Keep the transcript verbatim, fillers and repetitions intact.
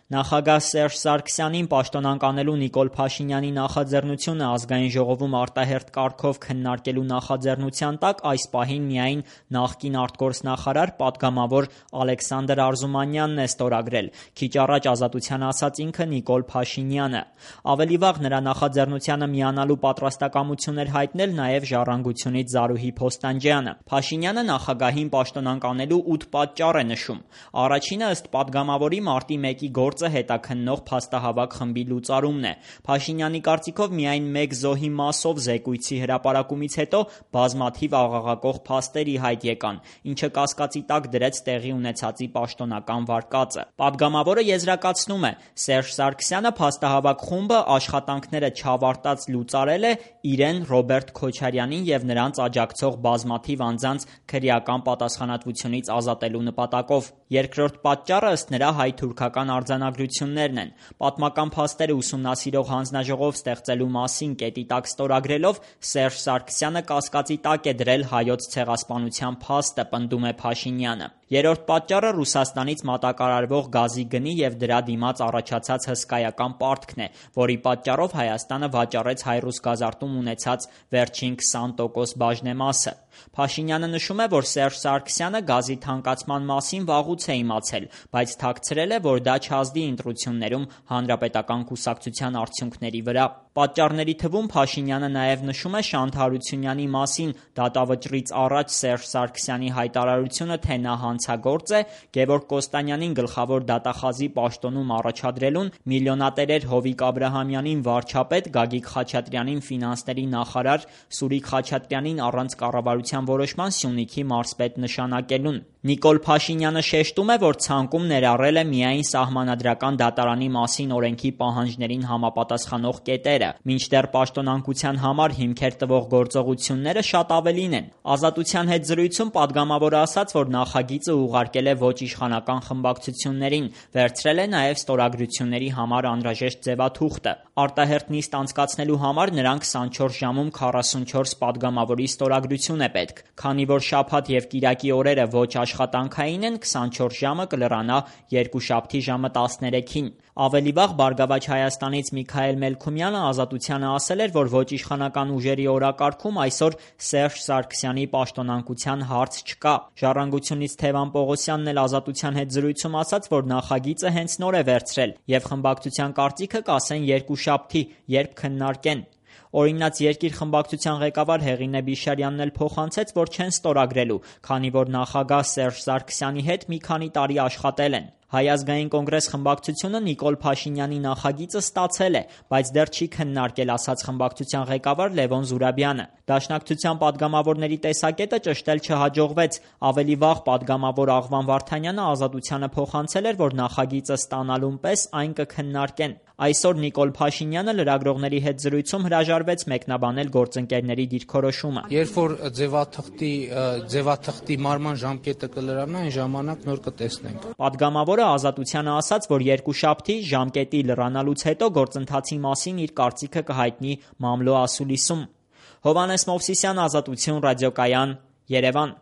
Նախագահ Սերժ Սարգսյանին պաշտոնանկ անելու Նիկոլ Փաշինյանի նախաձեռնությունը Ազգային ժողովում արտահերթ կարգով քննարկելու նախաձեռնության տակ այս պահին միայն նախկին արտգործնախարար պատգամավոր Ալեքսանդր Արզումանյանն է ստորագրել, քիչ առաջ Ազատության ասաց ինքը Նիկոլ Փաշինյանը։ Ավելի վաղ նրա նախաձեռնությանը միանալու պատրաստակամություն էր հայտնել նաև Ժառանգությունից Զարուհի Փոստանջյանը։ Փաշինյանը նախագահին պաշտոնանկ անելու ութ պատճառ է նշում։ Առաջինը ըստ պատգամավորի մարտի մեկի գործ հետաքննող փաստահավաք խմբի լուծարումն է։ Փաշինյանի կարծիքով միայն մեկ զոհի մասով զեկույցի հրապարակումից հետո բազմաթիվ աղաղակող փաստեր ի հայտ եկան, ինչը կասկածի տակ դրեց տեղի ունեցածի պաշտոնական վարկածը։ Պատգամավորը եզրակացնում է՝ Սերժ Սարգսյանը փաստահավաք խումբը աշխատանքները չավարտած լուծարել է իրեն, Ռոբերտ Քոչարյանին և նրանց աջակցող բազմաթիվ անձանց քրեական պատասխանատվությունից ազատելու նպատակով։ Երկրորդ պատճառը ըստ նրա հայ-թուրքական արձանագրություններն են։ Պատմական փաստերը ուսումնասիրող հանձնաժողով ստեղծելու մասին կետի տակ ստորագրելով Սերժ Սարգսյանը կասկածի տակ է դրել հայոց ցեղասպանության փաստը, պնդում է Փաշինյանը։ Երրորդ պատճառը Ռուսաստանից մատակարարվող գազի գնի և դրա դիմաց առաջացած հսկայական պարտքն է, որի պատճառով Հայաստանը վաճառեց հայ-ռուս գազարտում ունեցած վերջին քսան տոկոս բաժնեմասը։ Փաշինյանը նշում է, որ Սերժ Սարգսյանը գազի թանկացման մասին վաղուց է իմացել, բայց թաքցրել է, որ դա չազդի ընտրություններում Հանրապետական կուսակցության արդյունքների վրա։ Պատճառների թվում Փաշինյանը նաև նշում է Շանթ Հարությունյանի մասին դատավճռից առաջ Սերժ Սարգսյանի հայտարարությունը, թե նա հանցագործ է, Գևորգ Կոստանյանին գլխավոր դատախազի պաշտոնում առաջադրելուն, միլիոնատերեր Հովիկ Աբրահամյանին վարչապետ, Գագիկ Խաչատրյանին ֆինանսների նախարար, Սուրիկ Խաչատրյանին առանց կառավարության որոշման Սյունիքի մարզպետ նշանակելուն։ Նիկոլ Փաշինյանը շեշտում է, որ ցանկում ներառել է միայն Սահմանադրական դատարանի մասին օրենքի պահանջներին համապատասխանող կետերը, մինչդեռ պաշտոնանկության համար հիմքեր տվող գործողությունները շատ ավելին են։ Ազատության հետ զրույցում պատգամավորը ասաց, որ նախագիծը ուղարկել է ոչ իշխանական խմբակցություններին, վերցրել է նաև ստորագրությունների համար անհրաժեշտ ձևաթուղթը։ Արտահերթ նիստ անցկացնելու համար նրան քսանչորս ժամում քառասունչորս պատգամավորի ստորագրություն է պետք։ Քանի որ շաբաթ և կիրակի օրերը ոչ աշխատանքային են, քսանչորս ժամը կլրանա երկուշաբթի ժամը տասներեքին։ Ավելի վաղ Բարգավաճ Հայաստանից Միքայել Մելքումյանը Ազատությանը ասել էր, որ ոչ իշխանական ուժերի օրակարգում այսօր Սերժ Սարգսյանի պաշտոնանկության հարց չկա։ Ժառանգությունից Թևան Պողոսյանն էլ Ազատության հետ զրույցում ասաց, որ նախագիծը հենց նոր է վերցրել և խմբակցության կարծիքը կասեն երկուշաբթի, երբ քննարկեն։ Օրինաց Երկիր խմբակցության ղեկավար Հեղինե Բիշարյանն էլ փոխանցեց, որ չեն ստորագրելու, քանի որ նախագահ Սերժ Սարգսյանի հետ մի քանի տարի աշխատել են։ Հայ ազգային կոնգրես խմբակցությունը Նիկոլ Փաշինյանի նախագիծը ստացել է, բայց դեռ չի քննարկել, ասաց խմբակցության ղեկավար Լևոն Զուրաբյանը։ Դաշնակցության պատգամավորների տեսակետը ճշտել չհաջողվեց։ Ավելի վաղ պատգամավոր Աղվան Վարդանյանը Ազատությանը փոխանցել էր, որ նախագիծը ստանալուն պես այն կքննարկեն։ Այսօր Նիկոլ Փաշինյանը լրագրողների հետ զրույցում հրաժարվեց մեկնաբանել գործընկերների դիրքորոշումը։ Երբ որ ձևաթղթի ձևաթղթի մարման ժամկետը կլրանա, այն ժամանակ նոր կտեսնենք։ Պատգամավորը Ազատությանը ասաց, որ երկուշաբթի ժամկետի լրանալուց հետո գործընթացի մասին իր կարծիքը կհայտնի մամլո ասուլիսում։ Հովհաննես Մովսիսյան, Ազատություն, ռադիոկայան, Երևան։